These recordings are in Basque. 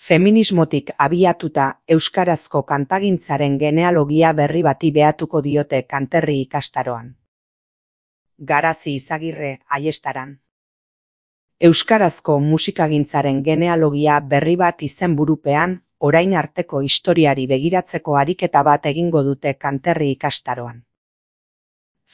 Feminismotik abiatuta euskarazko kantagintzaren genealogia berri bati behatuko diote Kanterri ikastaroan. Garazi Izagirre, Aiestaran. Euskarazko musikagintzaren genealogia berri bat izenburupean, orain arteko historiari begiratzeko ariketa bat egingo dute Kanterri ikastaroan.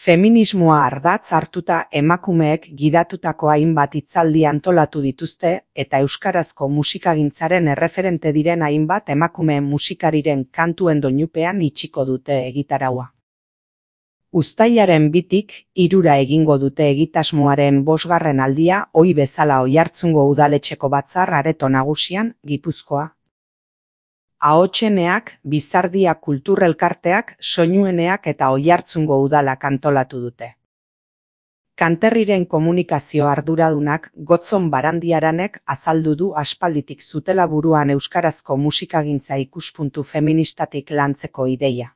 Feminismoa ardatz hartuta emakumeek gidatutako hainbat hitzaldi antolatu dituzte eta euskarazko musikagintzaren erreferente diren hainbat emakumeen musikariren kantuen doinupean itxiko dute egitaraua. Uztailaren 2tik 3 egingo dute egitasmoaren 5. aldia ohi bezala Oiartzungo udaletxeko batzar areto nagusian, Gipuzkoa. Ahotseneak, Bizardia kulturelkarteak, Soinueneak eta Oiartzungo udalak antolatu dute. Kanterriren komunikazio arduradunak Gotzon Barandiaranek azaldu du aspalditik zutela buruan euskarazko musikagintza ikuspuntu feministatik lantzeko ideia.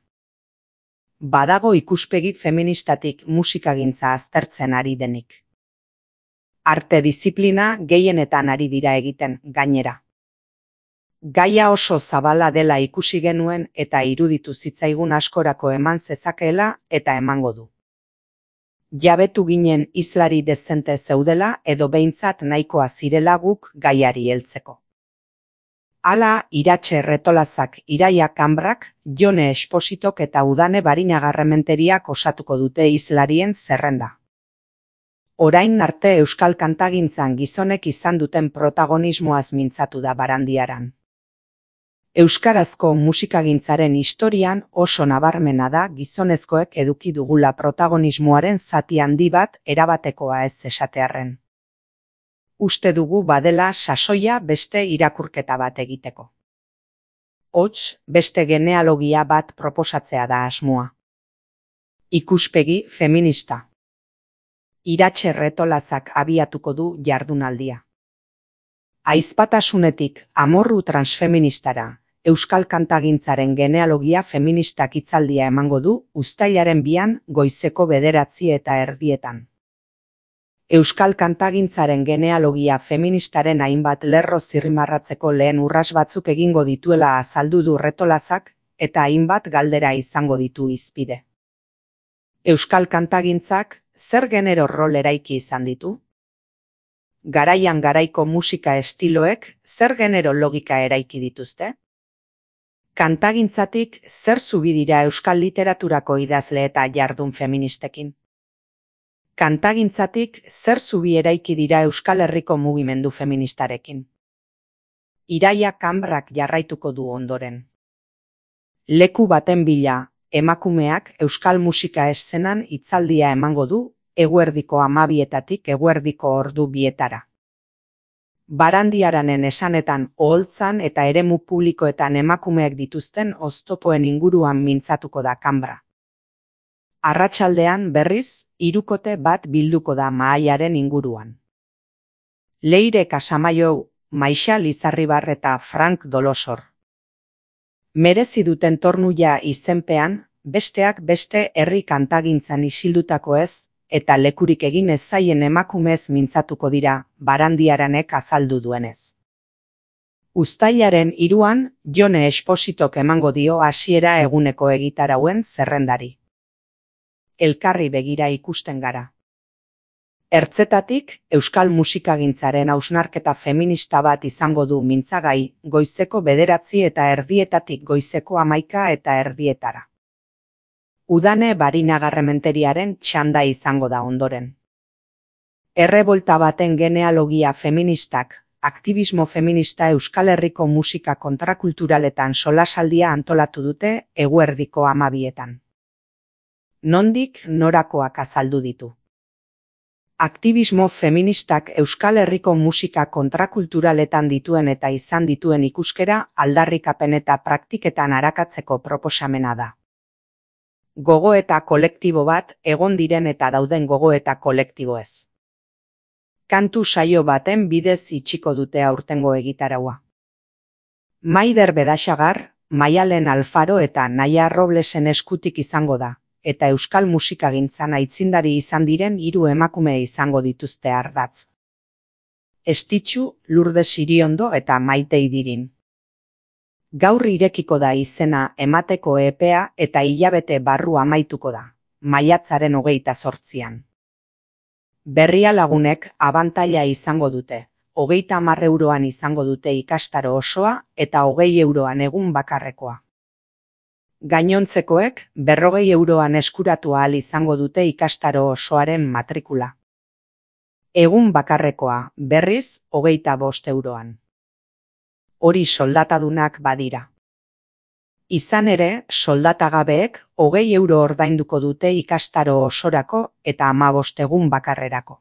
Badago ikuspegi feministatik musikagintza aztertzen ari denik. Arte diziplina gehienetan ari dira egiten, gainera. Gaia oso zabala dela ikusi genuen eta iruditu zitzaigun askorako eman zezakeela eta emango du. Jabetu ginen hizlari dezente zeudela edo behintzat nahikoa zirela guk gaiari heltzeko. Hala, Iratxe Retolazak, Iraia Kanbrak, Jone Espositok eta Udane Barinagarrementeriak osatuko dute hizlarien zerrenda. Orain arte euskal kantagintzan gizonek izan duten protagonismoaz mintzatu da Barandiaran. Euskarazko musikagintzaren historian oso nabarmena da gizonezkoek eduki dugula protagonismoaren zati handi bat erabatekoa ez esatearren. Uste dugu badela sasoia beste irakurketa bat egiteko. Hots, beste genealogia bat proposatzea da asmoa. Ikuspegi feminista. Iratxe Retolazak abiatuko du jardunaldia. Ahizpatasunetik amorru transfeministara, euskal kantagintzaren genealogia feministak hitzaldia emango du uztailaren 2 goizeko 9:30. Euskal kantagintzaren genealogia feministaren hainbat lerro zirrimarratzeko lehen urrats batzuk egingo dituela azaldu du Retolazak eta hainbat galdera izango ditu hizpide. Euskal kantagintzak zer genero rol eraiki izan ditu? Garaian garaiko musika estiloek zer genero logika eraiki dituzte? Kantagintzatik zer zubi dira euskal literaturako idazle eta jardun feministekin? Kantagintzatik zer zubi eraiki dira Euskal Herriko mugimendu feministarekin? Iraia Kanbrak jarraituko du ondoren. Leku baten bila, emakumeak euskal musika eszenan hitzaldia emango du eguerdiko 12:00 eguerdiko ordu 2:00. Barandiaranen esanetan oholtzan eta eremu publikoetan emakumeek dituzten oztopoen inguruan mintzatuko da Kanbra. Arratsaldean berriz, 3kote bat bilduko da mahaiaren inguruan. Leire Casamaiou, Maixa Lizarribar eta Frank Dolosor. Merezi duten tornuia izenpean, besteak beste herri kantagintzan isildutako ez, eta lekurik egin ez zaien emakumez mintzatuko dira, Barandiaranek azaldu duenez. Uztailaren 3an, Jone Espositok emango dio hasiera eguneko egitarauen zerrendari. Elkarri begira ikusten gara. Ertzetatik, euskal musikagintzaren hausnarketa feminista bat izango du mintzagai, goizeko 9:30 goizeko 11:30. Udane Barinagarrementeriaren txanda izango da ondoren. Errebolta baten genealogia feministak, aktibismo feminista Euskal Herriko musika kontrakulturaletan solasaldia antolatu dute eguerdiko 12:00. Nondik norakoak azaldu ditu. Aktibismo feministak Euskal Herriko musika kontrakulturaletan dituen eta izan dituen ikuskera aldarrikapen eta praktiketan arakatzeko proposamena da. Gogoeta kolektibo bat egon diren eta dauden gogoeta kolektiboez. Kantu saio baten bidez itxiko dute aurtengo egitaraua. Maider Bedaxagar, Maialen Alfaro eta Naia Roblesen eskutik izango da, eta euskal musikagintzan aitzindari izan diren 3 emakume izango dituzte ardatz. Estitxu, Lourdes Iriondo eta Maite Idirin. Gaur irekiko da izena emateko epea eta hilabete barru amaituko da, maiatzaren 28an. Berria lagunek abantaila izango dute, 30 euroan izango dute ikastaro osoa eta 20 euroan egun bakarrekoa. Gainontzekoek 40 euroan eskuratu ahal izango dute ikastaro osoaren matrikula. Egun bakarrekoa, berriz, 25 euroan. Hori soldatadunak badira. Izan ere, soldatagabeek 20 euro ordainduko dute ikastaro osorako eta 15 egun bakarrerako.